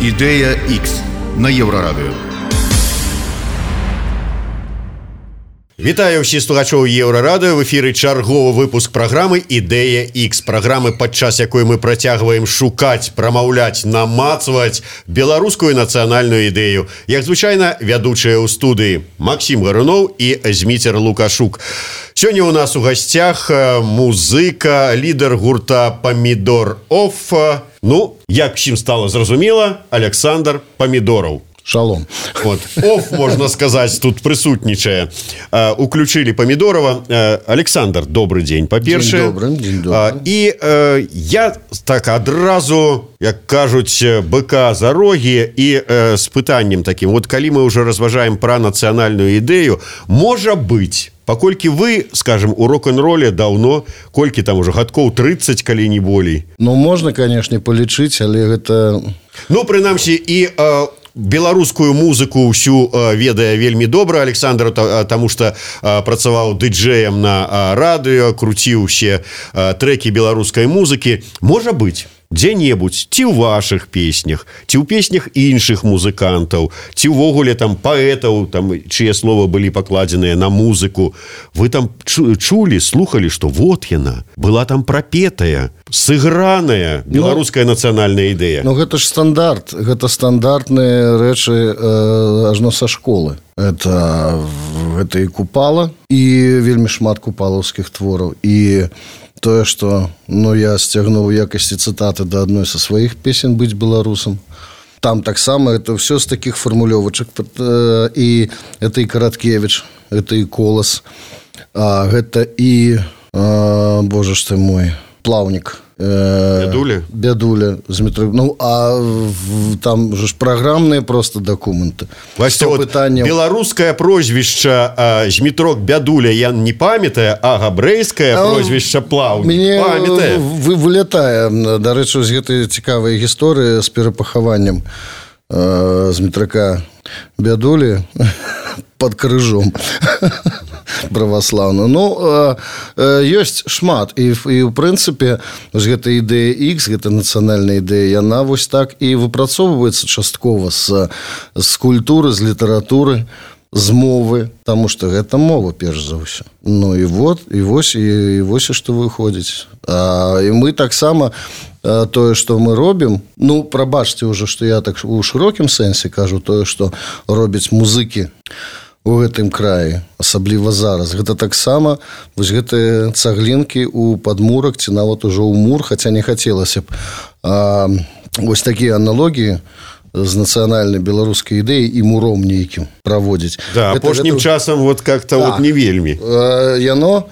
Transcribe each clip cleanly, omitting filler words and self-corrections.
Ідэя X на Еўрарадыё. Вітаю ўсіх слухачоў Еўрарадыё. В эфіры чарговы выпуск праграмы «Ідэя X». Праграмы, падчас якой мы працягваем шукаць, прамаўляць, намацваць беларускую нацыянальную ідэю. Як звычайна, вядучыя ў студыі Максім Гаруноў і Зміцер Лукашук. Сёння у нас у гасцях музыка, лідар гурта «Помидор Офф». Ну, як всім стало зразумела, Александр Помидоров. Шалом. Вот. Офф, можно сказать, тут присутнічае. Уключили Помидорова. Александр, добрый день, по-перше. День добрый, день добрый. И я так адразу, як кажуть, быка за роги и с пытаннем таким. Вот коли мы уже разважаем про национальную идею, может быть, паколькі вы, скажем, у рок-н-роле давно, колькі там уже гадкоў 30, калі не болей. Ну, можно, конечно, полічыць, але гэта... Ну, прынамсі, і беларускую музыку ўсю ведае вельмі добра Александр, таму што працаваў дыджэем на радыё, круціў усе трэкі беларускай музыкі. Можа быць, дзе-небудзь, ці ў вашых песнях, ці ў песнях іншых музыкантаў, ці ўвогуле там паэтаў, там, чые словы былі пакладзеныя на музыку, вы там чулі, слухалі, што вот яна, была там прапетая, сыграная беларуская нацыянальная ідэя. Ну, гэта ж стандарт, гэта стандартныя рэчы ажно са школы. Гэта і Купала, і вельмі шмат купалаўскіх твораў, і тое, што я сцягнуў у якасці цытаты да адной са сваіх песен «Быць беларусам». Там таксама это все з такіх фармулёвачак. І это і Караткевіч, это і Колас, гэта і, боже ж ты мой, Плаўнік. Бядуля з метро. Ну, а там же ж праграмныя просто дакументы. Вася, вот беларускае прозвішча Змітрок Бядуля я не памятаю, а габрэйскае прозвішча Плаўнік памятаю. Вылятае, дарэчы, з гэтай цікавай гісторыі з перапахаваннем Змітрака Бядулі под крыжом праваслаўна. Ну, ёсць шмат. І ў прынцыпе, гэта ідэя X, гэта нацыянальная ідэя, яна вось так і выпрацоўваецца часткова з культуры, з літаратуры, з мовы, таму што гэта мова, перш за ўсё. Ну, і вось што выходзіць. І мы таксама тое, што мы робім, ну, прабачце ўжо, што я так у шырокім сэнсе кажу, тое, што робяць музыкі у гэтым краі, асабліва зараз. Гэта таксама вось гэтыя цаглінкі ў падмурак ці нават ужо ў мур, хаця не хацелася б вось такія аналогіі з нацыянальнай беларускай ідэяй і муром нейкім праводзіць. Да, апошнім часам вот как-то вот не вельмі. Яно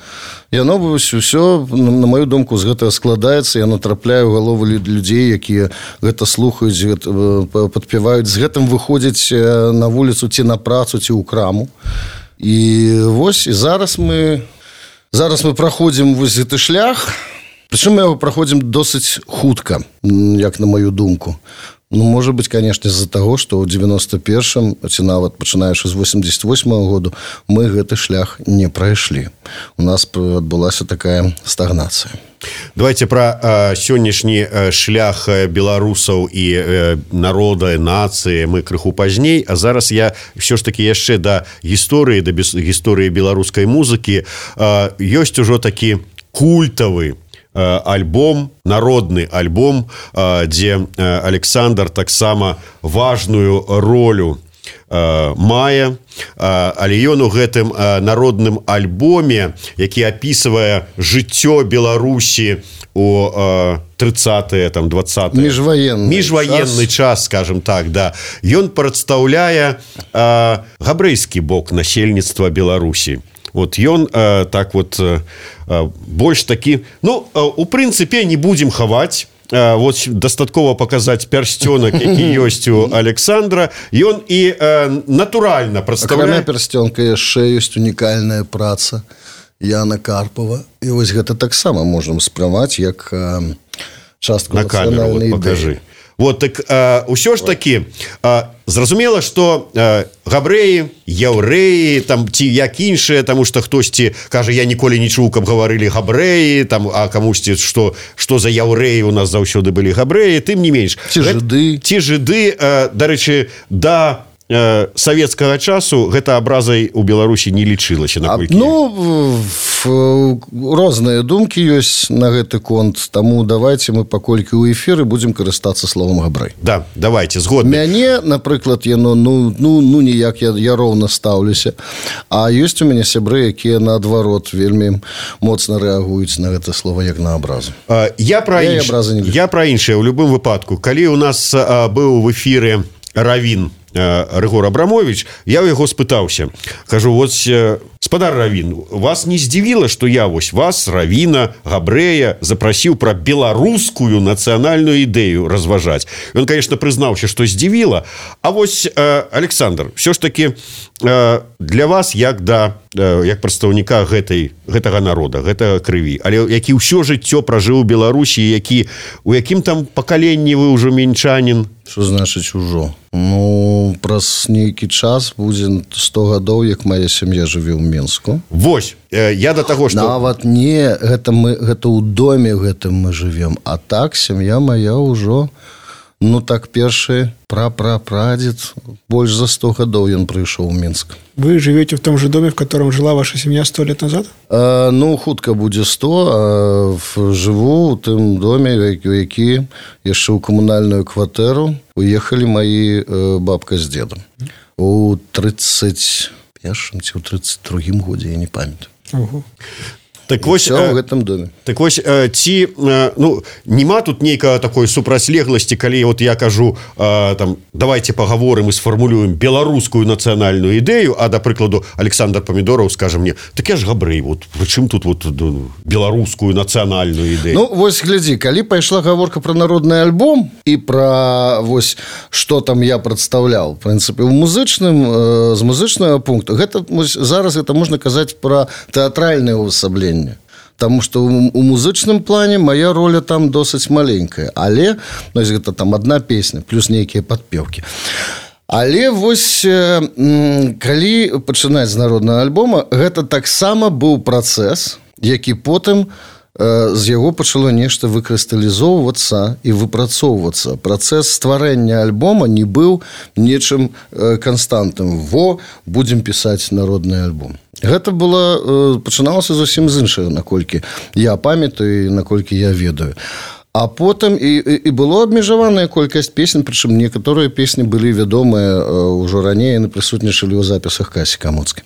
ўсё, на маю думку, з гэтага складаецца, яно трапляе ў галовы людзей, якія гэта слухаюць, падпяваюць, з гэтым выходзяць на вуліцу ці на працу, ці ў краму. І вось, і зараз мы праходзім вось гэты шлях, прычым мы яго праходзім досыць хутка, як на маю думку. Ну, может быть, конечно, из-за того, что ў 91-м, ці нават пачынаючы з 88-го году, мы гэты шлях не прайшлі. У нас адбылася такая стагнацыя. Давайте про сённяшні шлях беларусаў і народа, нацыі мы крыху пазней, а зараз я все ж таки яшчэ да гісторыі беларускай музыкі. Ёсць ужо такі культавы альбом, народны альбом, дзе Александр таксама важную ролю мае, але ён у гэтым народным альбоме, які апісвае жыццё Беларусі у 30-е, там, 20-е. Міжваенны час, скажем так, да. Ён прадстаўляе габрэйскі бок насельніцтва Беларусі. Вот ён так вот больш такі, ну, у прынцыпе не будзем хаваць, вот дастаткова паказаць пярсцёнак, які ёсць у Александра, ён і натуральна прадстаўляе. Акрамя пярсцёнка яшчэ ёсць унікальная праца Яна Карпова, і вось гэта таксама можам спрымаць як частку нацыянальнай ідэі. Вот, так, ўсё ж такі, зразумела, што габрэі, яўрэі там ці як іншыя, таму што хтосьці кажа, я ніколі не чуў, каб гаварылі габрэі там, а камусьці што за яўрэі у нас заўсёды былі габрэі, тым не менш ці жыды, дарэчы, да савецкага часу гэта абразай у Беларусі не лічылася. Розныя думкі ёсць на гэты конт, таму давайте мы паколькі ў эфіры будзем карыстацца словам габрэй. Да, давайте, згодны. Мяне, напрыклад, яно ніяк я роўна стаўлюся, а ёсць у мяне сябры, якія наадварот вельмі моцна рэагуюць на гэта слова як на абразу. Я пра іншае ў любым выпадку. Калі у нас быў в эфіры равін Рыгор Абрамович, я ў яго спытаўся, кажу, вот спадар равін, вас не здзівіла, што я вось вас, равіна, габрэя, запрасіў пра беларускую нацыянальную ідэю разважаць. Ён, конечно, прызнаўся, што здзівіла. А вось, Александр, все ж таки для вас як прадстаўніка гэтага народа, гэтага крыві, але які ўсё жыццё пражыў у Беларусі, у якім там пакаленні вы ўжо мінчанін? Што значыць ужо? Праз нейкі час будзе 100 гадоў, як моя сям'я жыве ў Менску. Вось, я да таго, што... Нават не, гэта ў доме гэтым мы жывем, а так сям'я моя ўжо, першы прапрадзед, больш за 100 гадоў ён прыйшоў у Мінск. Вы живете в том же доме, в котором жила ваша семья 100 лет назад? Хутка будзе 100, жыву ў тым доме, які яшчэ ў камунальную кватэру уехалі маі бабка з дзедам. У 31-м ці ў 32-м годзе, я не памятаю. Так вось, в гэтым доме. Так вось, ці нема тут нейкага такой супрацьлегласці, калі вот я кажу, давайте пагаворым і сфармулюем беларускую нацыянальную ідэю, а, да прыкладу, Александр Памідораў скажа мне, так я ж габрэй, чым тут беларускую нацыянальную ідэю? Вось глядзі, калі пайшла гаворка пра народны альбом і пра вось што там я прадстаўляў, в прынцыпе, з музычнага пункту, зараз гэта можна казаць пра тэатральнае ўвасабленне. Таму што у музычным плане моя роля там досыць маленькая, але гэта там одна песня плюс нейкія падпеўкі. Але вось калі пачынаць з народнага альбома, гэта таксама быў працэс, які потым з яго пачало нешта выкрысталізоўвацца і выпрацоўвацца. Працэс стварэння альбома не быў нечым канстантным. Будзем пісаць народны альбом. Гэта пачыналася зусім з іншага, наколькі я памятаю і наколькі я ведаю. А потым і было абмежаваная колькасць песень, прычым некаторыя песні былі вядомыя ўжо раней, яны прысутнічалі ў запісах Касі Камуцкай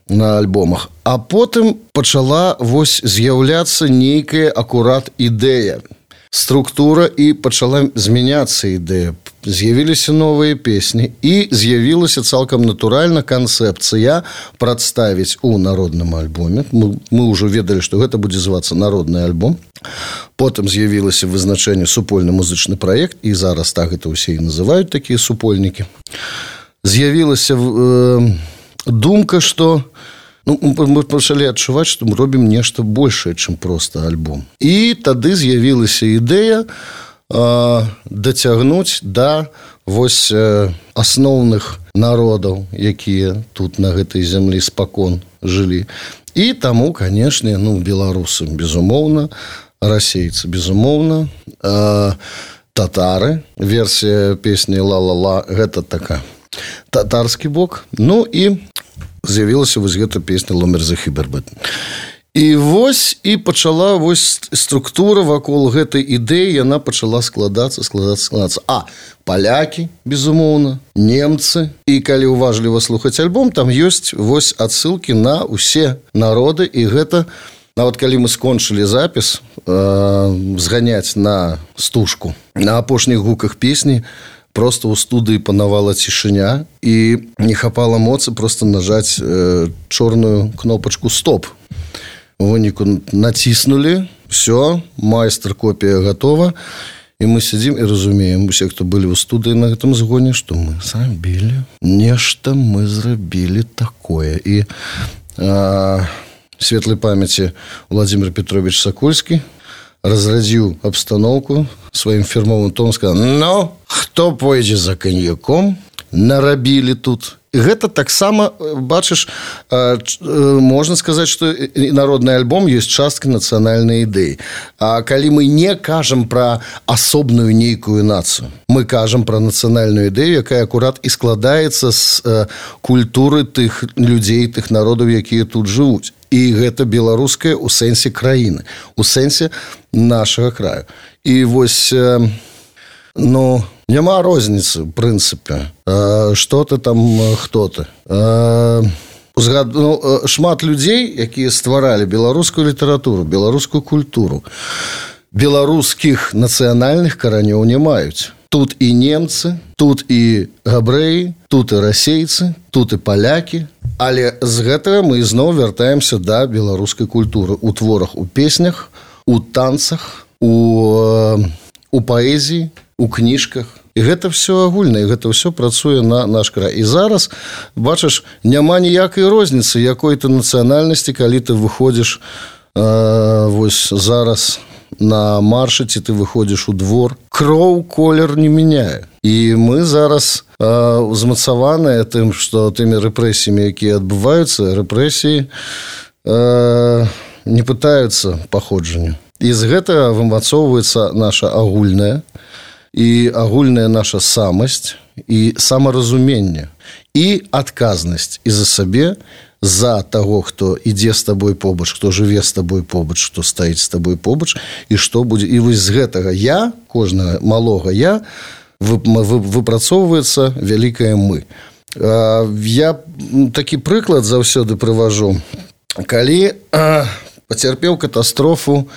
на альбомах. А потым пачала з'яўляцца нейкая акурат ідэя, структура, і пачала змяняцца ідэя. З'явіліся новыя песні і з'явілася цалкам натуральна канцэпцыя прадставіць у народным альбоме. Мы ўжо ведалі, што гэта будзе звацца народны альбом. Потым з'явілася вызначэнне супольны музычны праект, і зараз так гэта ўсе і называюць такія супольнікі. З'явілася думка, што мы пачалі адчуваць, што мы робім нешта большае, чым проста альбом. І тады з'явілася ідэя дацягнуць да асноўных народаў, якія тут на гэтай зямлі спакон жылі. І таму, канешне, беларусы, безумоўна, расейцы, безумоўна, татары, версія песні «Ла-ла-ла», гэта така татарскі бок. І з'явілася гэта песня «Ломер Захібербет». І пачала структура вакол гэтай ідэі, яна пачала складацца. Палякі, безумоўна, немцы. І калі уважліва слухаць альбом, там ёсць адсылкі на ўсе народы. І гэта, нават калі мы скончылі запіс, зганяць на стужку, на апошніх гуках песні, просто ў студыі панавала цішыня, і не хапала моцы просто нажаць чорную кнопачку «Стоп». У выніку націснулі, все, майстар-копія гатова, і мы сядзім і разумеем, усе, хто былі ў студыі на гэтым згоне, што мы зрабілі, нешта мы зрабілі такое. І светлай памяці Владимир Петрович Сакольскі разрадзіў абстаноўку сваім фірмовым тонам, сказаў: хто пойдзе за каньяком, нарабілі тут. Гэта таксама, бачыш, можна сказаць, што народны альбом ёсць частка нацыянальнай ідэі. А калі мы не кажам пра асобную нейкую нацыю, мы кажам пра нацыянальную ідэю, якая акурат і складаецца з культуры тых людзей, тых народаў, якія тут жывуць. І гэта беларускае ў сэнсе краіны, у сэнсе нашага краю. І вось, няма розніцы, в прынцыпе, што ты там, хто ты. Шмат людзей, якія стваралі беларускую літаратуру, беларускую культуру, беларускіх нацыянальных каранёў не маюць. Тут і немцы, тут і габрэі, тут і расейцы, тут і палякі. Але з гэтага мы зноў вяртаемся да беларускай культуры у творах, у песнях, у танцах, у паэзіі, у кніжках. І гэта ўсё агульнае, гэта ўсё працуе на наш край. І зараз, бачыш, няма ніякай розніцы, якой ты нацыянальнасці, калі ты выходзіш вось зараз на маршы, ці ты выходзіш у двор. Кроў колер не мяняе. І мы зараз узмацаваныя тым, што тымі рэпрэсіямі, якія адбываюцца, рэпрэсіі не пытаюцца паходжанню. І з гэтага вымацоўваецца наша агульная і агульная наша самасць і самаразуменне і адказнасць і за сабе, за таго, хто ідзе з табой побач, хто жыве з табой побач, хто стаіць з табой побач, і што будзе. І вось з гэтага я, кожнага малога я, выпрацоўваецца вялікае мы. Я такі прыклад заўсёды прыважу. Калі пацярпеў катастрофу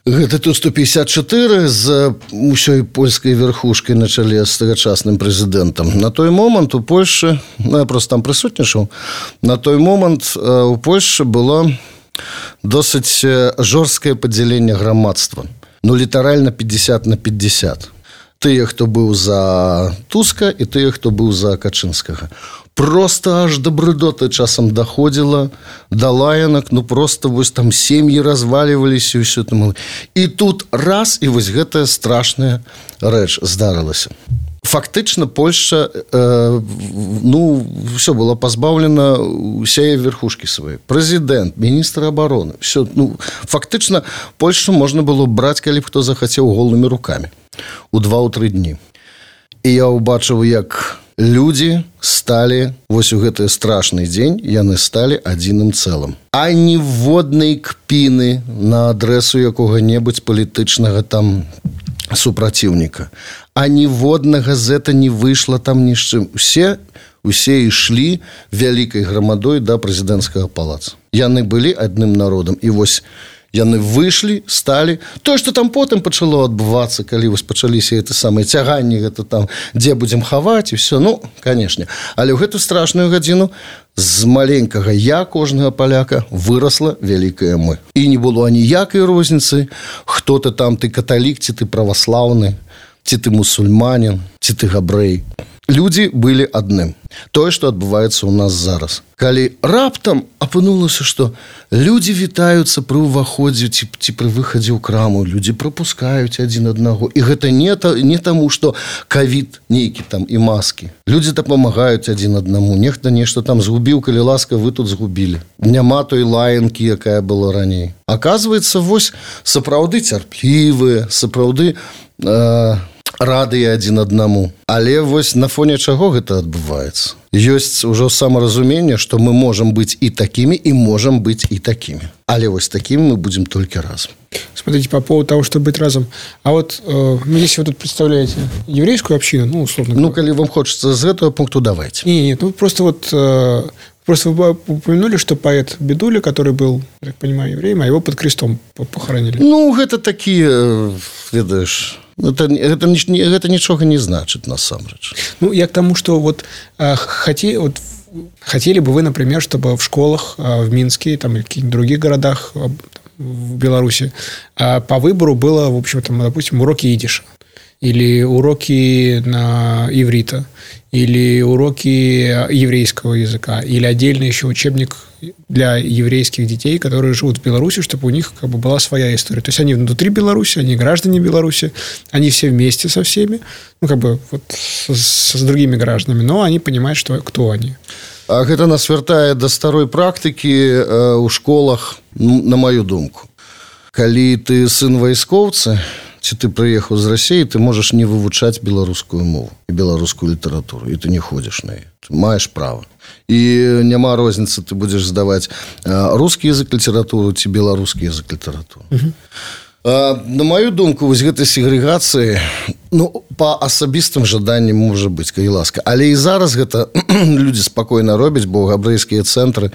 гэта Ту-154 з усёй польскай верхушкай на чале з тагачасным прэзідэнтам. На той момант у Польшы, я просто там прысутнічаў, на той момант у Польшы было досыць жорсткае падзяленне грамадства. Літаральна 50/50. Тыя, хто быў за Туска, і тыя, хто быў за Качынскага. Просто аж да брыдоты часам даходзіла, да лаянак, просто вось там сем'і разваліваліся і ўсё там. І тут раз, і вось гэтая страшная рэч здарылася. Фактычна Польшча, ўсё было пазбаўлена ўсяе верхушкі свае. Прэзідэнт, міністр абароны, ўсё, фактычна Польшчу можна было браць, калі б хто захацеў, голымі рукамі у 2-3 дні. І я ўбачыў, як людзі сталі, вось у гэты страшны дзень, яны сталі адзіным цэлым. А ніводнай кпіны на адрэсу якога-небудзь палітычнага там супраціўніка. А ніводнага зэта не выйшла там ні з чым. Усе ішлі вялікай грамадой да прэзідэнцкага палаца. Яны былі адным народам. І вось яны выйшлі, сталі. Тое, што там потым пачало адбывацца, калі вось пачаліся гэты самыя цяганні, гэта там, дзе будзем хаваць, і ўсё, канешне. Але ў гэту страшную гадзіну з маленькага я кожнага паляка вырасла вялікае мы. І не было аніякай розніцы, хто ты там, ты каталік, ці ты праваслаўны, ці ты мусульманін, ці ты габрэй. Людзі былі адным. Тое, што адбываецца ў нас зараз. Калі раптам апынулася, што людзі вітаюцца пры ўваходзе ці пры выхадзе ў краму, людзі прапускаюць адзін аднаго. І гэта не таму, што ковід нейкі там і маскі. Людзі дапамагаюць адзін аднаму. Нехта нешта там згубіў, калі ласка, вы тут згубілі. Няма той лаянкі, якая была раней. Аказваецца, вось сапраўды цярплівыя, сапраўды радыя адзін аднаму. Але вось на фоне чаго гэта адбываецца? Ёсць ужо самаразуменне, што мы можам быць і такімі, і можам быць і такімі. Але вось такімі мы будем только разом. Смотрите, по поводу того, чтобы быть разом. А вот если вы тут представляете еврейскую общину, условно говоря. Коли вам хочется с этого пункта, давайте. Нет, просто вы упомянули, что поэт Бедуля, который был, я так понимаю, евреем, а его под крестом похоронили. Это такие, ведаешь... Гэта нічога не значыць насамрэч. Я к тому, что хотели бы вы, например, чтобы в школах в Минске там, или в каких-нибудь других городах в Беларуси по выбору было, в общем, там, допустим, уроки идиша. или уроки на иврита, или уроки еврейского языка, или отдельный еще учебник для еврейских детей, которые живут в Беларуси, чтобы у них как бы была своя история. То есть они внутри Беларуси, они граждане Беларуси, они все вместе со всеми, ну, как бы вот с другими гражданами, но они понимают, что, кто они. А гэта нас вяртае да старой практыкі ў школах, на маю думку. Калі ты сын вайскоўца, ці ты прыехаў з Расіі, ты можаш не вывучаць беларускую мову і беларускую літаратуру, і ты не ходзіш на яе. Ты маеш права. І няма розніцы, ты будзеш здаваць рускі язык літаратуру ці беларускі язык літаратуру. На маю думку, вось гэтай сегрэгацыі, ну, па асабістым жаданням можа быць, калі ласка. Але і зараз гэта людзі спакойна робяць, бо габрэйскія цэнтры,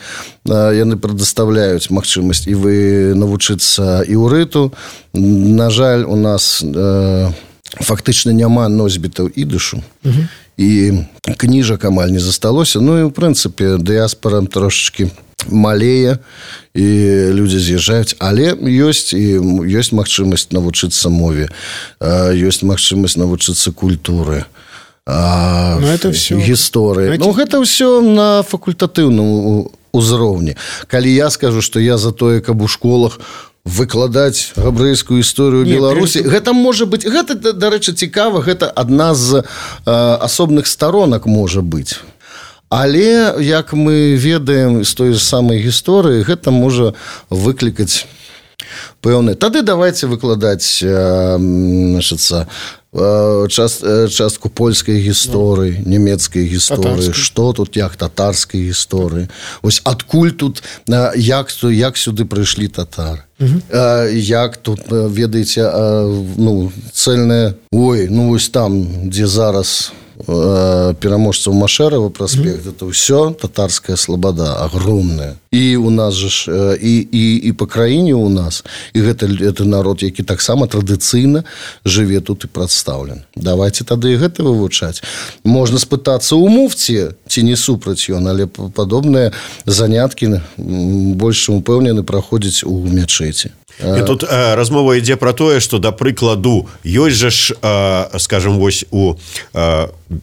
яны прадастаўляюць магчымасць і вы навучыцца іўрыту. На жаль, у нас фактычна няма носьбітаў ідышу. І кніжак амаль не засталося. Ну і, ў прынцыпе, дыяспара трошачкі малее, і людзі з'язджаюць, але ёсць магчымасць навучыцца мове, ёсць магчымасць навучыцца культуры, гісторыі. Ну, гэта ўсё на факультатыўным узроўні. Калі я скажу, што я за тое, каб у школах выкладаць габрэйскую гісторыю Беларусі, гэта можа быць, гэта, дарэчы, цікава, гэта адна з асобных сторонак можа быць. Але, як мы ведаем з той самай гісторыі, гэта можа выклікаць пэўны. Тады давайте выкладаць частку польскай гісторыі, нямецкай гісторыі, што тут, як татарскай гісторыі. Вось адкуль тут, як сюды прыйшлі татары. Як тут, ведаеце, ну, цэльная, ну, вось там, дзе зараз пераможцаў Машэрава праспект, это ўсё татарская слабада огромная. І у нас же і па краіне у нас, і гэта народ, які таксама традыцыйна жыве тут і прадстаўлен. Давайте тады і гэта вывучаць. Можна спытацца ў муфці, ці не супраць ён, але падобныя заняткі больш упэўнены праходзяць у мячэці. І тут размова ідзе пра тое, што, да прыкладу, ёсць жа ж, скажем, вось у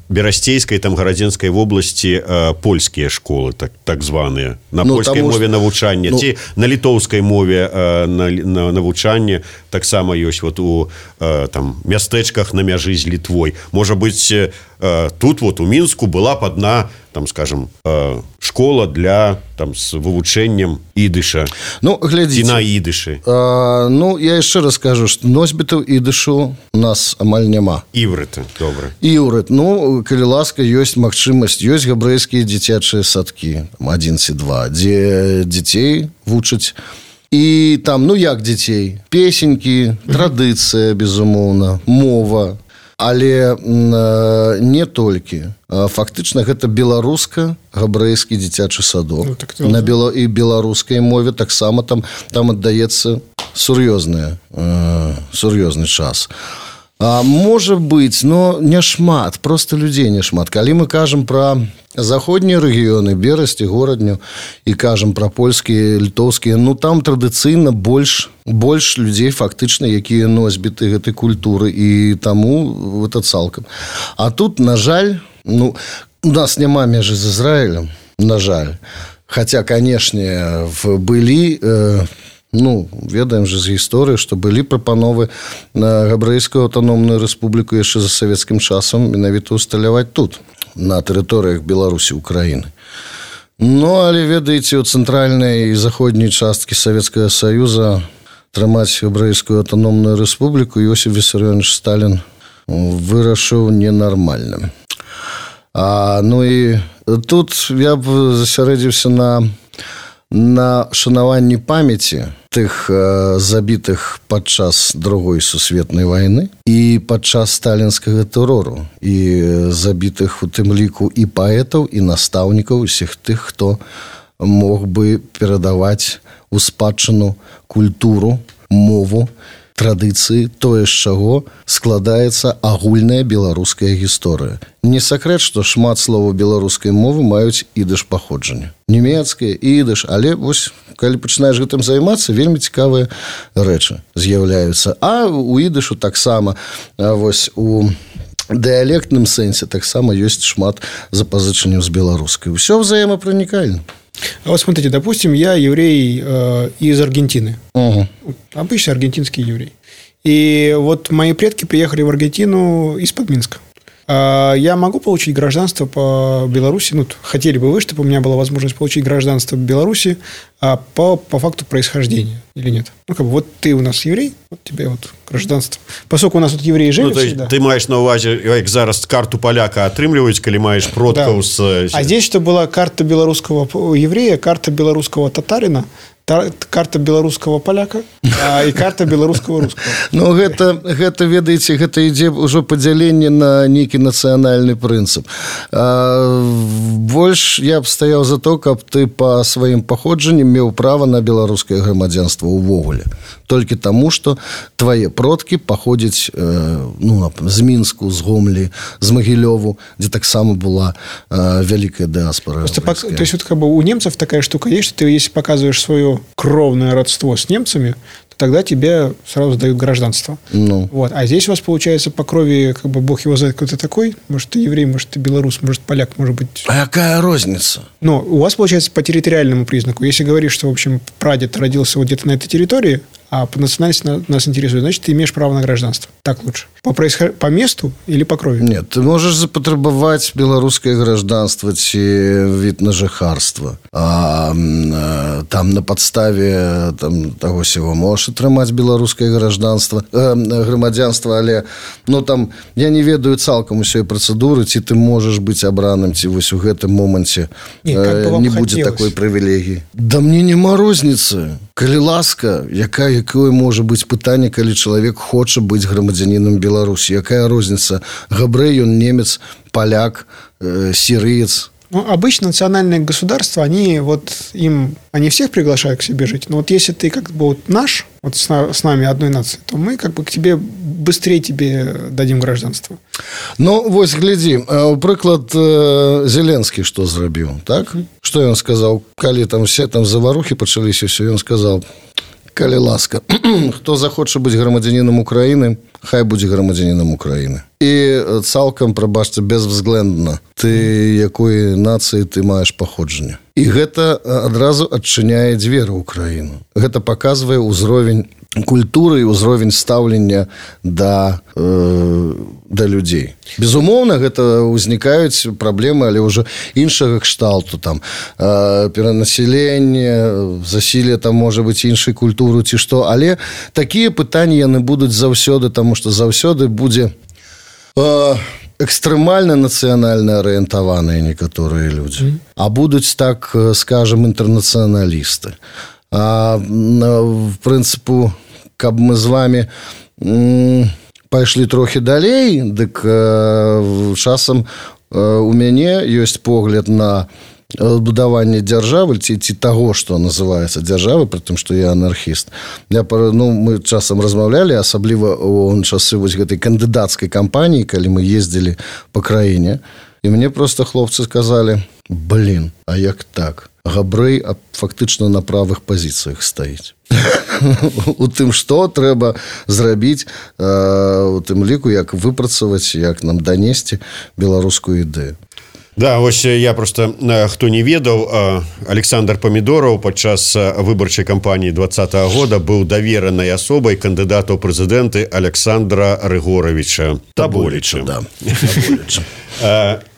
Берасцейскай, там, Гарадзенскай вобласці польскія школы, так званыя, на польскай мове навучання, ці на літоўскай мове навучання, таксама ёсць вот у там мястэчках на мяжы з Літвой. Можа быць, тут вот у Мінску была б адна, там, скажем, школа для, там, с вывучэннем ідыша. Ну, глядзіце. І на ідышы. Ну, я яшчэ раз скажу, што носьбітаў ідышу у нас амаль няма. Іврыты, добра. Іврыт. Ну, калі ласка, ёсць магчымасць, ёсць габрэйскія дзіцячыя садкі, 1 ці 2, дзе дзяцей вучаць. І там, ну, як дзяцей? Песенькі, традыцыя, безумоўна, мова. Але не толькі. Фактычна гэта беларуска-габрэйскі дзіцячы садок. Ну, так, і беларускай мове таксама там аддаецца сур'ёзны час. Можа быць, но не шмат, просто людзей не шмат. Калі мы кажам пра заходнія рэгіёны, Берасць і Горадню, і кажам пра польскія, літоўскія, ну там традыцыйна больш людзей фактычна, якія носьбіты гэтай культуры, і таму гэта цалкам. А тут, на жаль, ну, у нас няма межы з Ізраілем, на жаль. Хаця, канешне, былі... Ну, ведаем же з гісторыі, што былі прапановы на габрэйскую аўтаномную рэспубліку яшчэ за савецкім часам менавіта усталяваць тут, на тэрыторыях Беларусі, Украіны. Ну, але, ведаеце, у цэнтральнай і заходняй часткі Савецкага Саюза трымаць габрэйскую аўтаномную рэспубліку Іосиф Вісарыёнович Сталін вырашыў ненармальным. Ну і тут я б засярэдзіўся на шанаванні памяці тых забітых падчас Другой сусветнай вайны і падчас сталінскага тэрору, і забітых у тым ліку і паэтаў, і настаўнікаў, усіх тых, хто мог бы перадаваць у спадчыну культуру, мову традыцыі, тое, з чаго складаецца агульная беларуская гісторыя. Не сакрэт, што шмат словаў беларускай мовы маюць ідыш паходжання. Нямецкае, ідыш, але вось, калі пачынаеш гэтым займацца, вельмі цікавыя рэчы з'яўляюцца. А у ідышу таксама, вось у дыялектным сэнсе таксама ёсць шмат запазычанняў з беларускай. Усё взаимопроникально. А вот смотрите, допустим, я еврей из Аргентины. Угу. Обычный аргентинский еврей. И вот мои предки приехали в Аргентину из-под Минска. Я могу получить гражданство по Беларуси? Ну, хотели бы вы, чтобы у меня была возможность получить гражданство в Беларуси по факту происхождения или нет? Ну, как бы, вот ты у нас еврей, вот тебе вот гражданство. Поскольку у нас тут евреи живут всегда. Ты маешь на увазе, як зараз карту поляка атрымліваюць, калі маешь продкаў з... А здесь, что была карта белорусского еврея, карта белорусского татарина, карта беларускага поляка і карта беларускага рускага. Ну, гэта ведаеце, гэта ідзе ўжо падзяленне на нейкі нацыянальны прынцып. Больш я б стаяў за то, каб ты па сваім паходжанні меў права на беларускае грамадзянства ўвогуле. Толькі таму, што твае продкі паходзяць з Мінску, з Гомлі, з Магілёву, дзе таксама была вялікая дыаспора. То есть вот как бы у немцев такая штука есть, что ты если показываешь свое кровное родство с немцами, то тогда тебе сразу дают гражданство. Ну. Вот. А здесь у вас получается по крови, как бы бог его знает, кто ты такой. Может, ты еврей, может, ты белорус, может, поляк, может быть... А какая розница? Ну, у вас получается по территориальному признаку. Если говоришь, что, в общем, прадед родился вот где-то на этой территории, а по национальности нас интересует, значит, ты имеешь право на гражданство. Так лучше. По месту или по крови? Нет, ты можешь запатрабаваць беларускае гражданство ці від на жыхарства. Там на подставе таго сего можешь атрымаць беларускае грамадзянства, але там я не ведаю цалкам усёй працэдуры, ці ты можаш быць абраным, ці вось у гэтым моманце не будзе такой прывілегіі. Да мне няма розніцы. Калі ласка, якое можа быць пытанне, калі чалавек хоча быць грамадзянінам Беларусі? Якая розніца? Габрэй, ён немец, поляк, сирыец. Ну, обычно национальные государства, они всех приглашают к себе жить. Но вот если ты как бы вот наш, вот с нами одной нации, то мы как бы к тебе быстрее тебе дадим гражданство. Ну, вось, глядзі, прыклад Зеленскі што зрабіў, так? Што ён сказаў? Калі там все заварухі пачаліся, ўсё, ён сказаў: калі ласка, хто захоча быць грамадзянінам Украіны, хай будзе грамадзянінам Украіны. І цалкам, прабачце, безвзглендна, ты якой нацыі ты маеш паходжанне. І гэта адразу адчыняе дзверы ў краіну. Гэта паказвае ўзровень культуры і ўзровень стаўлення да людзей. Безумоўна, гэта ўзнікаюць праблемы, але ўжо іншага кшталту, перанаселенне, засілле можа быць іншай культуры ці што, але такія пытанні яны будуць заўсёды, таму што заўсёды будзе экстрэмальна нацыянальна арыентаваныя некаторыя людзі, а будуць, так скажам, інтэрнацыяналісты. В прынцыпу, каб мы з вами пайшлі трохі далей, дык часам у мяне ёсць погляд на будаванне дзяржавы ці таго, што называецца дзяржавы, пры тым, што я анархіст. Мы часам размаўлялі, асабліва ў часы вось гэтай кандыдацкай кампаніі, калі мы ездзілі па краіне, і мне проста хлопцы сказалі: блин, а як так? Габрэй фактычна на правых пазіцыях стаіць. У тым, што трэба зрабіць, у тым ліку, як выпрацаваць, як нам данесці беларускую ідэю. Да, вось я просто, хто не ведаў, Александр Памідораў падчас выбарчай кампаніі 2020 года быў даверанай асобай кандыдата ў прэзідэнты Александра Рыгоровича Таболіча. Да.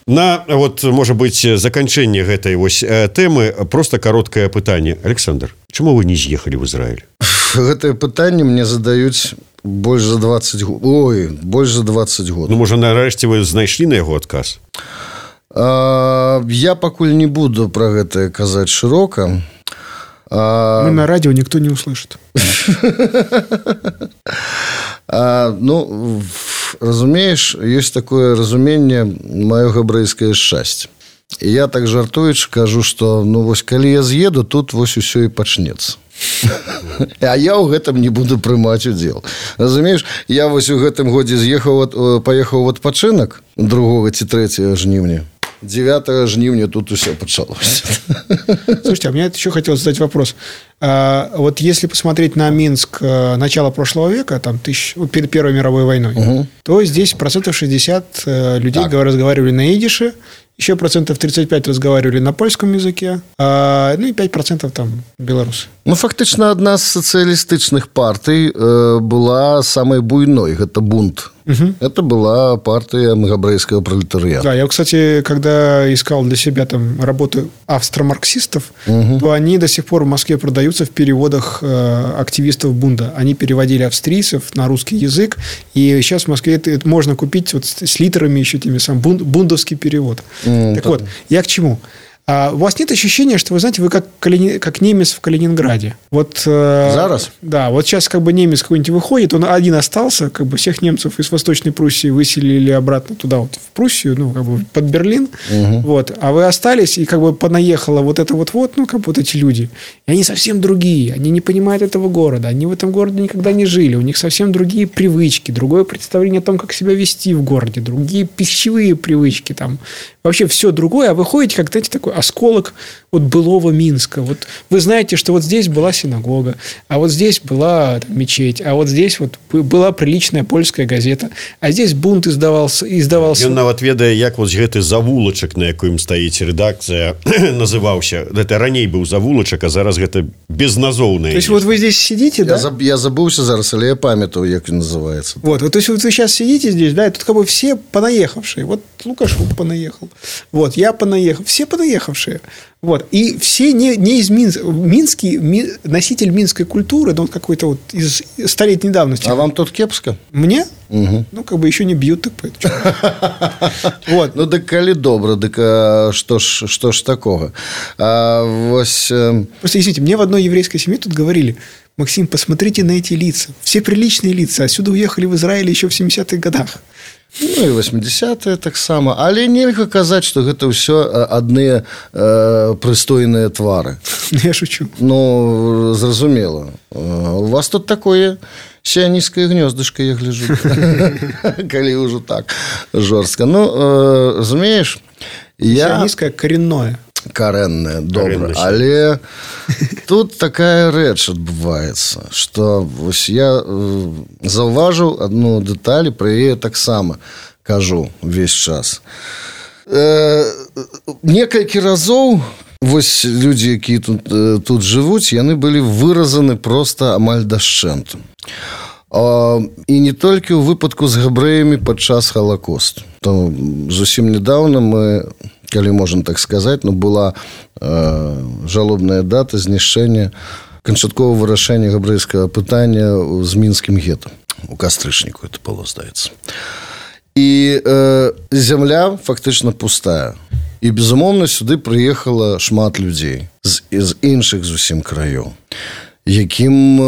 На, можа быць, заканчэнне гэтай вось тэмы просто кароткае пытанне. Александр, чаму вы не з'ехалі в Ізраіль? Гэтае пытанне мне задаюць больш за 20 год. Ой, больш за 20 год. Ну, можа, нарэшце вы знайшлі на яго адказ? Я пакуль не буду про гэта казаць шырока. Мы на радио никто не услышит. Разумееш, ёсць такое разуменне маё габрэйскае шчасце. І я так жартуючы кажу, што вось калі я з'еду, тут вось усё і пачнецца. А я ў гэтым не буду прымаць удзел. Разумееш, я вось у гэтым годзе паехаў в адпачынак 2 ці 3 жніўня. 9 жніўня тут все началось. Слушайте, а мне еще хотелось задать вопрос. Вот если посмотреть на Минск начала прошлого века, там перед Первой мировой войной, то здесь 60% людей разговаривали на идише, еще 35% разговаривали на польском языке, ну и 5% там белорусы. Ну, фактично, одна з социалистичных партий была самой буйной. Это бунт. Это была партия габрейского пролетариата. Да, я, кстати, когда искал для себя там работы австро-марксистов, то они до сих пор в Москве продаются в переводах активистов бунда. Они переводили австрийцев на русский язык, и сейчас в Москве это можно купить вот с литерами еще теми самым бундовский перевод. Так вот, я к чему? У вас нет ощущения, что, вы знаете, вы как немец в Калининграде? Вот, зараз? Да, вот сейчас как бы немец какой-нибудь выходит, он один остался, как бы всех немцев из Восточной Пруссии выселили обратно туда, вот в Пруссию, ну, как бы под Берлин, вот, а вы остались, и как бы понаехало вот это вот, ну, как бы вот эти люди, и они совсем другие, они не понимают этого города, они в этом городе никогда не жили, у них совсем другие привычки, другое представление о том, как себя вести в городе, другие пищевые привычки, там, вообще все другое, а вы ходите, как, знаете, такой осколок вот былого Минска. Вот вы знаете, что вот здесь была синагога, а вот здесь была там мечеть, а вот здесь вот была приличная польская газета, а здесь бунт издавался. Ён нават ведае, як вот гэты завулачак, на якім стаіць рэдакцыя, называўся. Это раней быў завулачак, а зараз гэта безназоўная. То есть вот вы здесь сидите, да? Я забыўся зараз, але я памятаю, як ён называется. Вот, то есть вот вы сейчас сидите здесь, да, и тут как бы все понаехавшие. Вот Лукашук понаехал, вот я понаехал, все понаехавшие. Вот. И все не из Минска. Носитель минской культуры, да, он какой-то вот из столетней давности. А вам тут кепска? Мне? Ну, как бы еще не бьют, так поэтому. Вот. Ну, так коли добро, так что ж такого? Просто, извините, мне в одной еврейской семье тут говорили: Максим, посмотрите на эти лица. Все приличные лица. Отсюда уехали в Израиль еще в 70-х годах. Ну, і 80-е таксама. Але нельга казаць, што гэта ўсё адныя прыстойныя твары. Я шучу. Ну, зразумела. У вас тут такое сіаністскае гнёздышко, я гляжу. Калі ўжо так жорстка. Ну, разумееш, сіаністскае коренное. Карэнная, добра. Але тут такая рэч адбываецца, што вось я заўважыў адну дэталь, пра яе таксама кажу увесь час. Некалькі разоў вось людзі, якія тут жывуць, яны былі выразаны проста амаль дашчэнту. І не толькі ў выпадку з габрэямі падчас Халакосту. То зусім нядаўна мы, калі можна так сказаць, ну, была жалобная дата знішчэння канчатковага вырашэння габрэйскага пытання з мінскім гета. У кастрычніку это было, здаецца. І зямля фактычна пустая. І, безумоўна, сюды прыехала шмат людзей з іншых зусім краёў, якім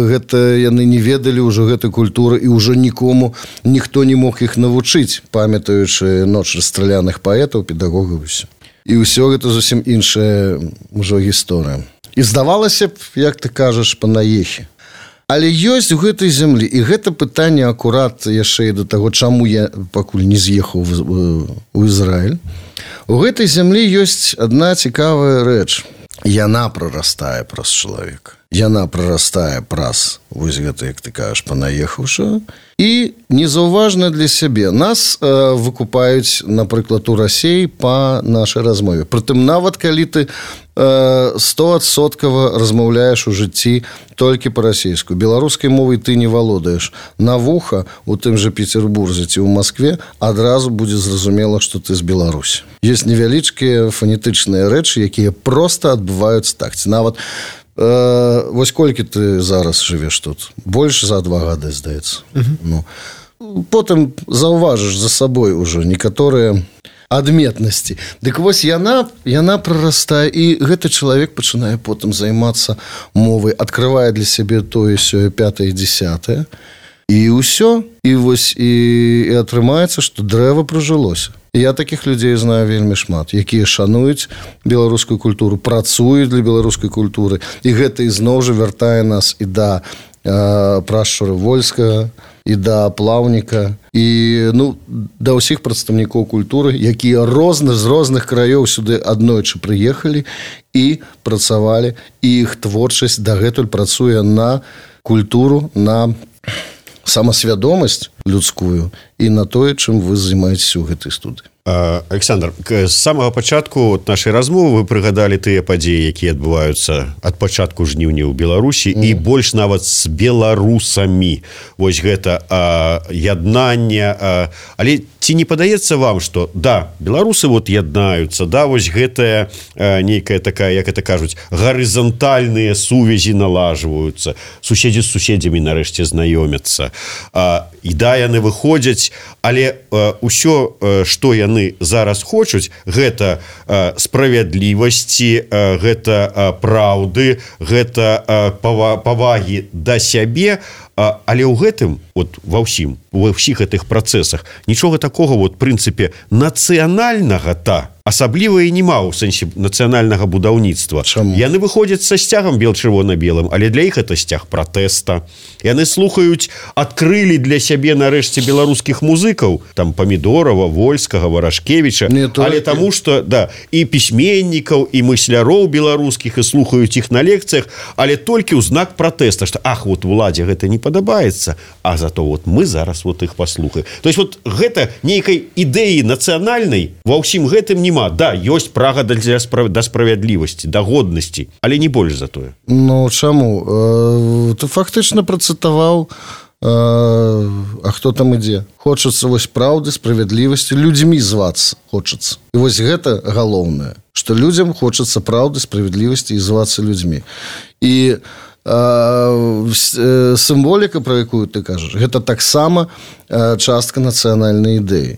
гэта яны не ведалі ўжо гэтай культуры, і ўжо ніхто не мог іх навучыць, памятаючы ноч расстраляных паэтаў, педагогаў. І ўсё гэта зусім іншая ўжо гісторыя. І здавалася б, як ты кажаш, панаехі. Але ёсць у гэтай зямлі, і гэта пытанне акурат яшчэ і да таго, чаму я пакуль не з'ехаў у Ізраіль. У гэтай зямлі ёсць адна цікавая рэч. Яна прарастае праз чалавека. Яна прарастае праз, вось гэта, як ты кажаш, панаехаўшага. І незаўважна для сябе. Нас выкупаюць, напрыклад, у Расіі па нашай размове. Прытым, нават калі ты 100% размаўляеш у жыцці толькі па-расійску. Беларускай мовай ты не валодаеш. На вуха у тым жа Петербурзе ці ў Маскве адразу будзе зразумела, што ты з Беларусі. Ёсць невялічкія фанетычныя рэчы, якія проста адбываюцца так. Нават вось колькі ты зараз жывеш тут? Больш за 2 гады, здаецца. Ну, потым заўважыш за сабой ужо некаторыя адметнасці. Дык вось яна прарастае, і гэты чалавек пачынае потым займацца мовай, адкрывае для сябе тое, сёе, 5-е, 10-е. І ўсё, і вось і атрымаецца, што дрэва прыжылося. Я такіх людзей знаю вельмі шмат, якія шануюць беларускую культуру, працуюць для беларускай культуры, і гэта ізноў жа вяртае нас і да прашчуры Вольскага, і да плаўніка, і да ўсіх прадстаўнікоў культуры, якія з розных краёў сюды аднойчы прыехалі і працавалі, і іх творчасць дагэтуль працуе на культуру, на самасвядомасць людскую і на тое, чым вы займаецеся ў гэтай студыі. Александр, з самага пачатку нашай размовы вы прыгадалі тыя падзеі, якія адбываюцца ад пачатку жніўня ў Беларусі і больш нават з беларусамі. Вось гэта яднанне. Але ці не падаецца вам, што да, беларусы вот яднаюцца, да, вось гэтая нейкая такая, як это кажуць, гарызантальныя сувязі налажваюцца, суседзі з суседзямі нарэшце знаёмяцца. І да, яны выходзяць, але ўсё, што яны зараз хочуць, гэта справядлівасці, гэта праўды, гэта павагі да сябе, але ў гэтым, ва ўсіх гэтых працэсах нічога такога, прынцыпе, нацыянальнага-та асабліва і нема ў сэнсе нацыянальнага будаўніцтва. Яны выходзяць са сцягам бел-чырвона-белым, але для іх это сцяг пратэста. Яны слухаюць, адкрылі для сябе нарэшце беларускіх музыкаў, там Памідорава, Вольскага, Варашкевіча, але таму што і пісьменнікаў, і мысляроў беларускіх, і слухаюць іх на лекцыях, але толькі ў знак пратэста, што уладзе гэта не падабаецца, а зато мы зараз іх паслухаем. То есть гэта нейкай ідэі нацыянальнай ва ўсім гэтым нема. Да, ёсць прага да справядлівасці, да годнасці, але не больш за тое. Чаму? Ты фактычна працытаваў, а хто там ідзе? Хочацца вось праўды, справядлівасці, людзьмі звацца хочацца. І вось гэта галоўнае, што людзям хочацца праўды, справядлівасці і звацца людзьмі. І сімволіка, про якую ты кажаш, гэта таксама частка нацыянальнай ідэі.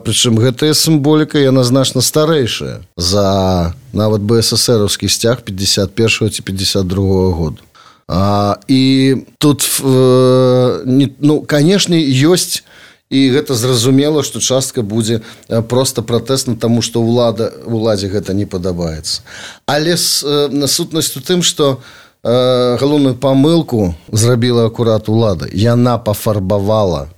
Прычым гэтая сімволіка, яна значна старэйшая за нават БССРаўскі сцяг 51-го ці 52-го году. І тут, канешне, ёсць, і гэта зразумела, што частка будзе проста пратэсна, таму што уладзе гэта не падабаецца. Але сутнасць у тым, што галоўную памылку зрабіла акурат улада.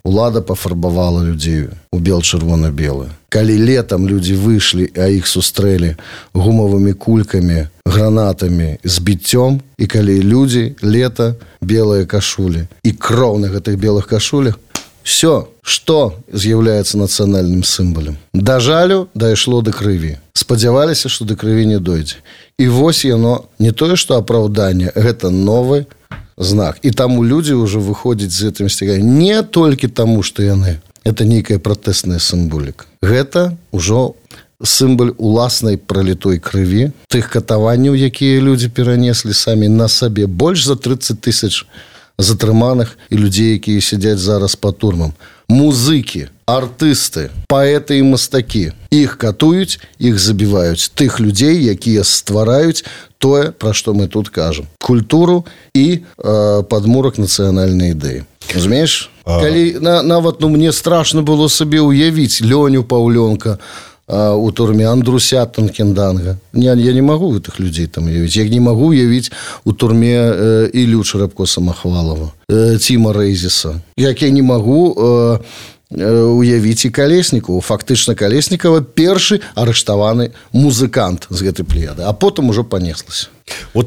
Улада пафарбавала людзей у бел-чырвона-белы. Калі летам людзі выйшлі, а іх сустрэлі гумавымі кулькамі, гранатамі, з біццём, і калі людзі, лета, белыя кашулі і кроў на гэтых белых кашулях, все, што з'яўляецца нацыянальным сімвалем. Да жалю дайшло да крыві. Спадзяваліся, што да крыві не дойдзе. І вось яно, не тое, што апраўданне, гэта новы знак. І таму людзі ўжо выходзяць з гэтым сцяганнем не толькі таму, што яны. Это нейкая пратэсная сімволіка. Гэта ўжо сімвал уласнай пралітой крыві, тых катаванняў, якія людзі перанеслі самі на сабе. Больш за 30 000 затрыманых і людзей, якія сядзяць зараз па турмам. Музыкі, артысты, паэты і мастакі. Іх катуюць, іх забіваюць. Тых людзей, якія ствараюць тое, пра што мы тут кажам. Культуру і падмурак нацыянальнай ідэі. Разумееш? Калі нават мне страшна было сабе уявіць Лёню Паўлёнка у турме, Андруся Танкенданга. Я не магу гэтых людзей там уявіць. Я не магу уявіць у турме Ілю Чарапко-Самахвалова, Ціма Рэйзіса. Як я не магу уявіць і Калеснікова. Фактычна Калеснікова першы арыштаваны музыкант з гэтай плеяды, а потым ужо панеслася.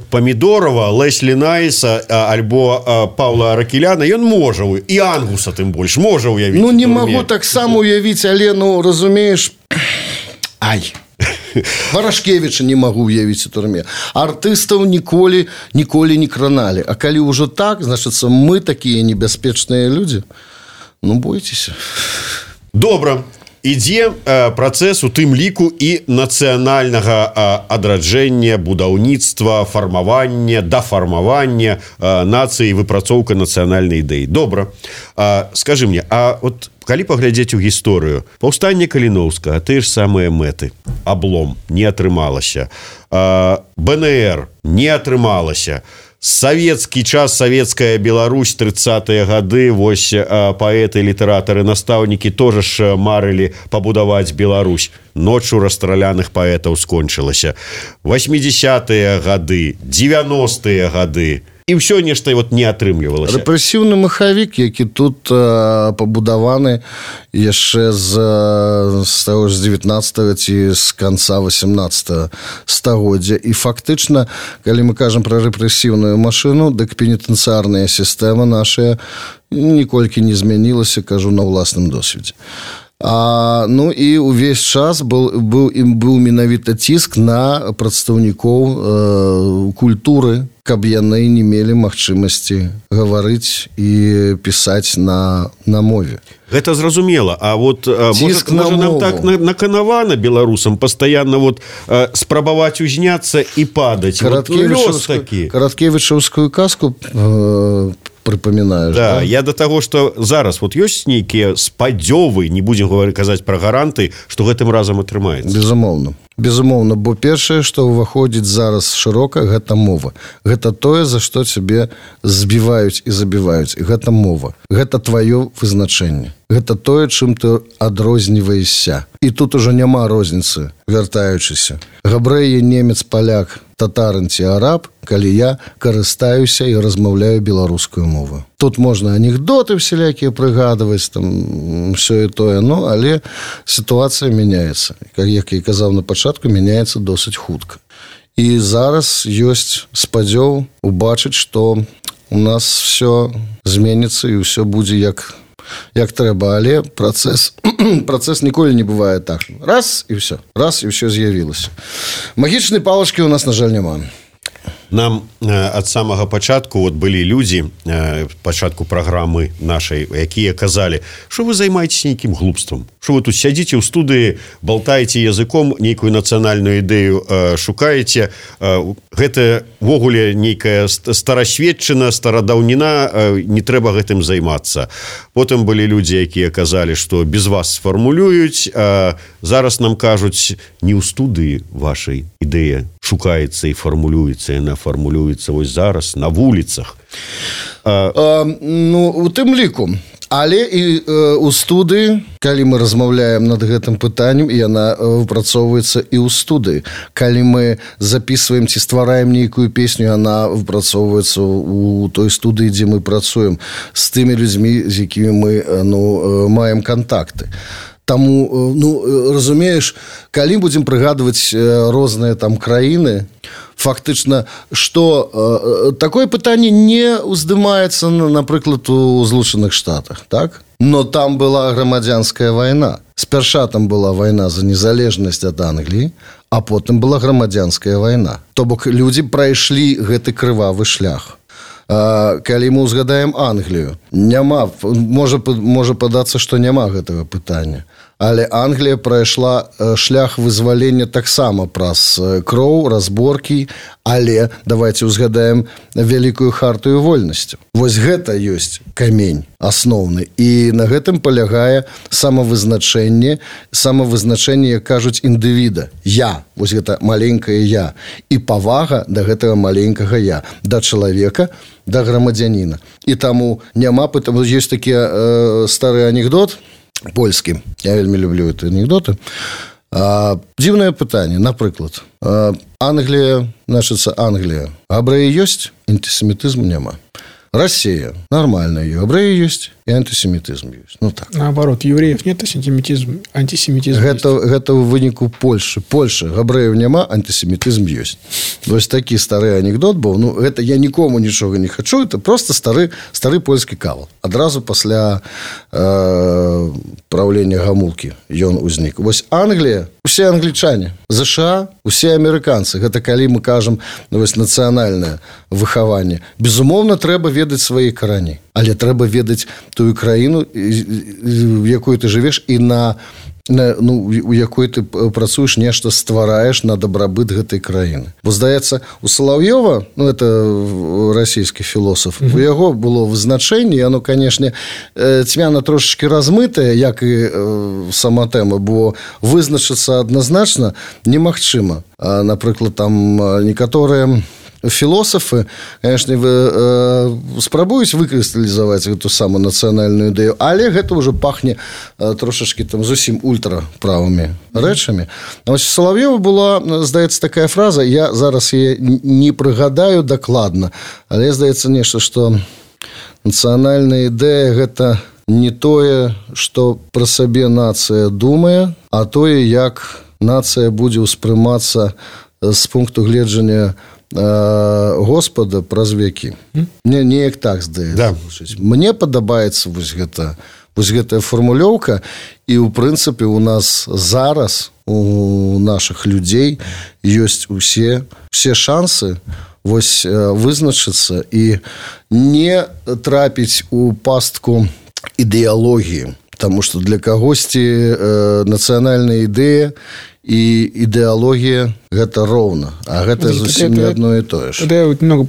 Памідорава, Леслі Найса альбо Паўла Аракеляна ён можа, і Ангуса тым больш можа уявіць. Не магу таксама уявіць, але, разумееш, Варашкевіча не магу уявіць у турме. Артыстаў ніколі не краналі. А калі ўжо так, значыцца, мы такія небяспечныя людзі. Бойцеся. Добра. Ідзе працэс у тым ліку і нацыянальнага адраджэння, будаўніцтва, фармавання, дафармавання нацыі, выпрацоўка нацыянальнай ідэі. Добра. Скажы мне, калі паглядзець у гісторыю, паўстанне Каліноўскага, тыя ж самыя мэты, аблом, не атрымалася, БНР, не атрымалася, Савецкі час, савецкая Беларусь, 30-е гады, вось паэты, літаратары, настаўнікі тоже ж марылі пабудаваць Беларусь. Ноччу расстраляных паэтаў скончылася. 80-е гады, 90-е гады. І ўсё нешта вот не атрымлівалася. Рэпрэсіўны махавік, які тут пабудаваны яшчэ з 19-го ці з канца 18-го стагоддзя. І фактычна, калі мы кажам пра рэпрэсіўную машыну, дык пенітэнцыярная сістэма наша ніколькі не змянілася, кажу, на ўласным досведзе. Ну і увесь час быў менавіта ціск на прадстаўнікоў культуры, каб яны не мелі магчымасці гаварыць і пісаць на мове. Гэта зразумела. А вот ціск можа нам так наканавана беларусам пастаянна вот спрабаваць узняцца і падаць. Караткевічаўскую казку прыпамінаеш, да? Я да таго, што зараз вот ёсць нейкія спадзёвы, не будзем казаць пра гаранты, што гэтым разам атрымаецца. Безумоўна, бо першае, што ўваходзіць зараз шырока, гэта мова. Гэта тое, за што цябе збіваюць і забіваюць. Гэта мова. Гэта тваё вызначэнне. Гэта тое, чым ты адрозніваешся. І тут ужо няма розніцы, вяртаючыся. Габрэй, немец, паляк, татарын ці араб, калі я карыстаюся і размаўляю беларускую мову. Тут можна анекдоты всялякія прыгадваць, там, ўсё і тое, але сітуацыя мяняецца. Як я казаў на пачатку, мяняецца досыць хутка. І зараз ёсць спадзёў убачыць, што у нас все зменіцца і ўсё будзе як трэба, але працэс ніколі не бывае так. Раз і ўсё з'явілася. Магічнай палачкі у нас, на жаль, няма. Нам ад самага пачатку вот былі людзі, пачатку праграмы нашай, якія казалі, што вы займаецеся нейкім глупствам, што вы тут сядзіце ў студыі, балтаеце языком, нейкую нацыянальную ідэю шукаеце. Гэта ввогуле нейкая старасветчына, старадаўніна, не трэба гэтым займацца. Потым былі людзі, якія казалі, што без вас сфармулююць, зараз нам кажуць, не ў студыі вашай ідэя шукаецца і фармулюецца, яна фармулюецца вось зараз на вуліцах. У тым ліку. Але і ў студыі, калі мы размаўляем над гэтым пытаннем, яна выпрацоўваецца і ў студыі. Калі мы записываем ці ствараем нейкую песню, яна выпрацоўваецца ў той студыі, дзе мы працуем, з тымі людзьмі, з якімі мы маем кантакты. Таму, разумееш, калі будзем прыгадваць розныя там краіны, фактычна, што такое пытанне не ўздымаецца, напрыклад, у Злучаных Штатах, так? Но там была грамадзянская вайна. Спярша там была вайна за незалежнасць ад Англіі, а потым была грамадзянская вайна. То бок людзі прайшлі гэты крывавы шлях. Калі мы ўзгадаем Англію, няма, можа падацца, што няма гэтага пытання. Але Англія прайшла шлях вызвалення таксама праз кроў, разборкі, але давайте ўзгадаем вялікую хартыю вольнасцяў. Вось гэта ёсць камень асноўны. І на гэтым палягае самавызначэнне, як кажуць, індывіда. Я, вось гэта маленькае я. І павага да гэтага маленькага я, да чалавека, да грамадзяніна. І таму няма пытання. Ёсць такі стары анекдот польскі. Я вельмі люблю гэты анекдоты. Дзіўнае пытанне, напрыклад. Англія, значыцца Англія. Габрэі ёсць, антисемітызму няма. Россия нормальная, габрэі ёсць і антисемітызм ёсць. Ну так. Наоборот, евреев нет, антисемитизм гэта ў выніку Польшы. Польша, габрэяў няма, антисемітызм ёсць. Вось такі стары анекдот быў. Гэта я нікому нічога не хачу, это просто стары польскі кавал. Адразу пасля правлення Гамулкі ён узнік. Вось Англія, усе англічане, ЗША, усе амерыканцы. Гэта калі мы кажам, вось нацыянальнае выхаванне. Безумоўна, трэба ведаць свае карані. Але трэба ведаць тую краіну, в якой ты жывеш, і у якой ты працуеш, нешта ствараеш на дабрабыт гэтай краіны. Бо, здаецца, у Салаўёва, это расійскі філосаф, у яго было вызначэнне, яно, канешне, цьмяна трошачкі размытае, як і сама тэма, бо вызначыцца адназначна немагчыма. Напрыклад, там некаторыя філосафы, конечно, спрабуюць выкрысталізаваць гэту самую нацыянальную ідэю, але гэта ўжо пахне трошачкі там зусім ультраправымі рэчамі. Вось Салав'ёва была, здаецца, такая фраза, я зараз яе не прыгадаю дакладна, але здаецца нешта, што нацыянальная ідэя гэта не тое, што пра сабе нацыя думае, а тое, як нацыя будзе ўспрымацца з пункту гледжання Господа праз векі. Мне неяк так здаецца. Мне падабаецца вось гэтая фармулёўка, і ў прынцыпе у нас зараз у нашых людзей ёсць усе шансы вось вызначыцца і не трапіць у пастку ідэалогіі, таму што для кагосьці нацыянальная ідэя и идеология – это ровно, а это совсем не одно и то же. Тогда я немного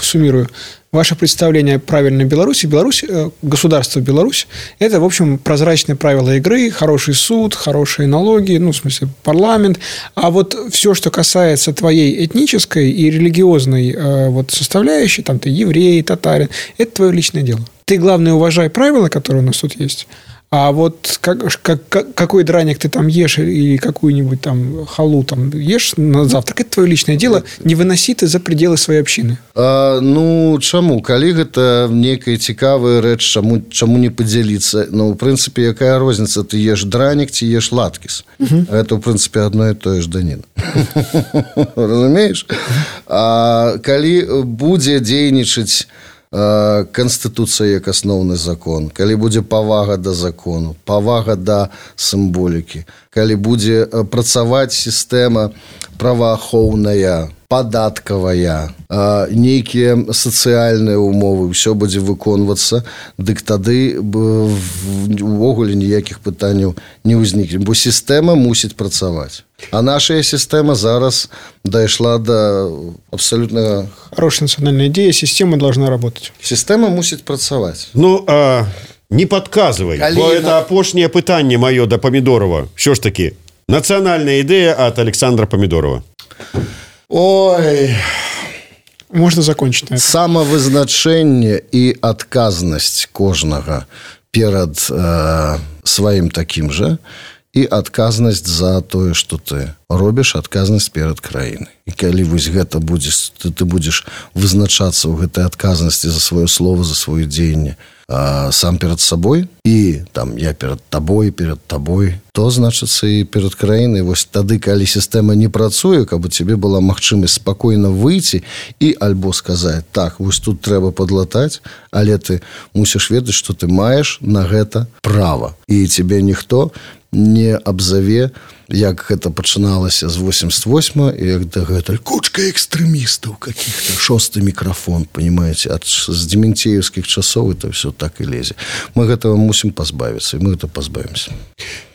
суммирую. Ваше представление правильной Беларуси. Беларусь, государство Беларусь – это, в общем, прозрачные правила игры, хороший суд, хорошие налоги, ну, в смысле, парламент. А вот все, что касается твоей этнической и религиозной вот составляющей, там ты еврей, татарин, это твое личное дело. Ты, главное, уважай правила, которые у нас тут есть. А вот какой драник ты там ешь или какую-нибудь там халу там ешь на завтрак, это твое личное дело, не выноси ты за пределы своей общины. Ну, чаму? Калі гэта некая цікавая рэч, чаму не падзяліцца? Ну, в прынцыпе, якая розніца? Ты еш дранік ці еш латкіс? Это, в прынцыпе, одно и то же даніна. Разумееш? А калі будзе дзейнічаць Канстытуцыя як асноўны закон, калі будзе павага да закону, павага да сімволікі, калі будзе працаваць сістэма праваахоўная, падаткавая, нейкія сацыяльныя умовы, ўсё будзе выконвацца, дык тады увогуле ніякіх пытанняў не ўзнікне, бо сістэма мусіць працаваць. А наша система зараз дошла до абсолютно... Хорошая национальная идея, система должна работать. Система мусит працаваць. Ну, не подказывай, бо это апошняе пытанне маё да Памідорова. Що ж таки, национальная идея от Александра Памідорова. Ой... Можно закончить на этом. Самавызначэнне і адказнасць кожнага перад сваім такім жа, і адказнасць за тое, што ты робіш, адказнасць перад краінай. І калі вось гэта будзеш, ты будзеш вызначацца ў гэтай адказнасці за сваё слово, за сваё дзеянне сам перад сабой, і там я перад табой, то, значыцца, і перад краінай. Вось тады, калі сістэма не працуе, каб у цябе была магчымасць спакойна выйти і альбо сказаць, так, вось тут трэба падлатаць, але ты мусіш ведаць, што ты маеш на гэта права. І цябе ніхто не абзаве, як гэта пачыналася з 88-го, і як дагэтуль кучка экстрэмістаў каких-то, шосты мікрафон, понимаете, з дементеевскіх часоў это все так і лезе. Мы гэтага мусім пазбавіцца, і мы гэта пазбавімся.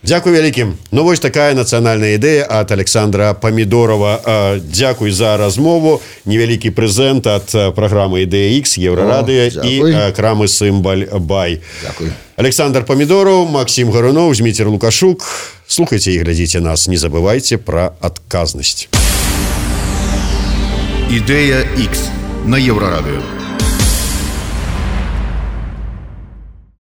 Дзякуй вялікім. Ну, вось такая нацыянальная ідэя ад Александра Памідорова. Дзякуй за размову. Невялікі прэзент ад праграмы «Ідэя X», Еўрарадыё і крамы «Сімбаль Бай». Дзякуй. Александр Памідоров, Максим Гарунов, Зміцер Лукашук. Слухайте и глядите нас. Не забывайте про отказность. «Ідэя X» на Еўрарадыё.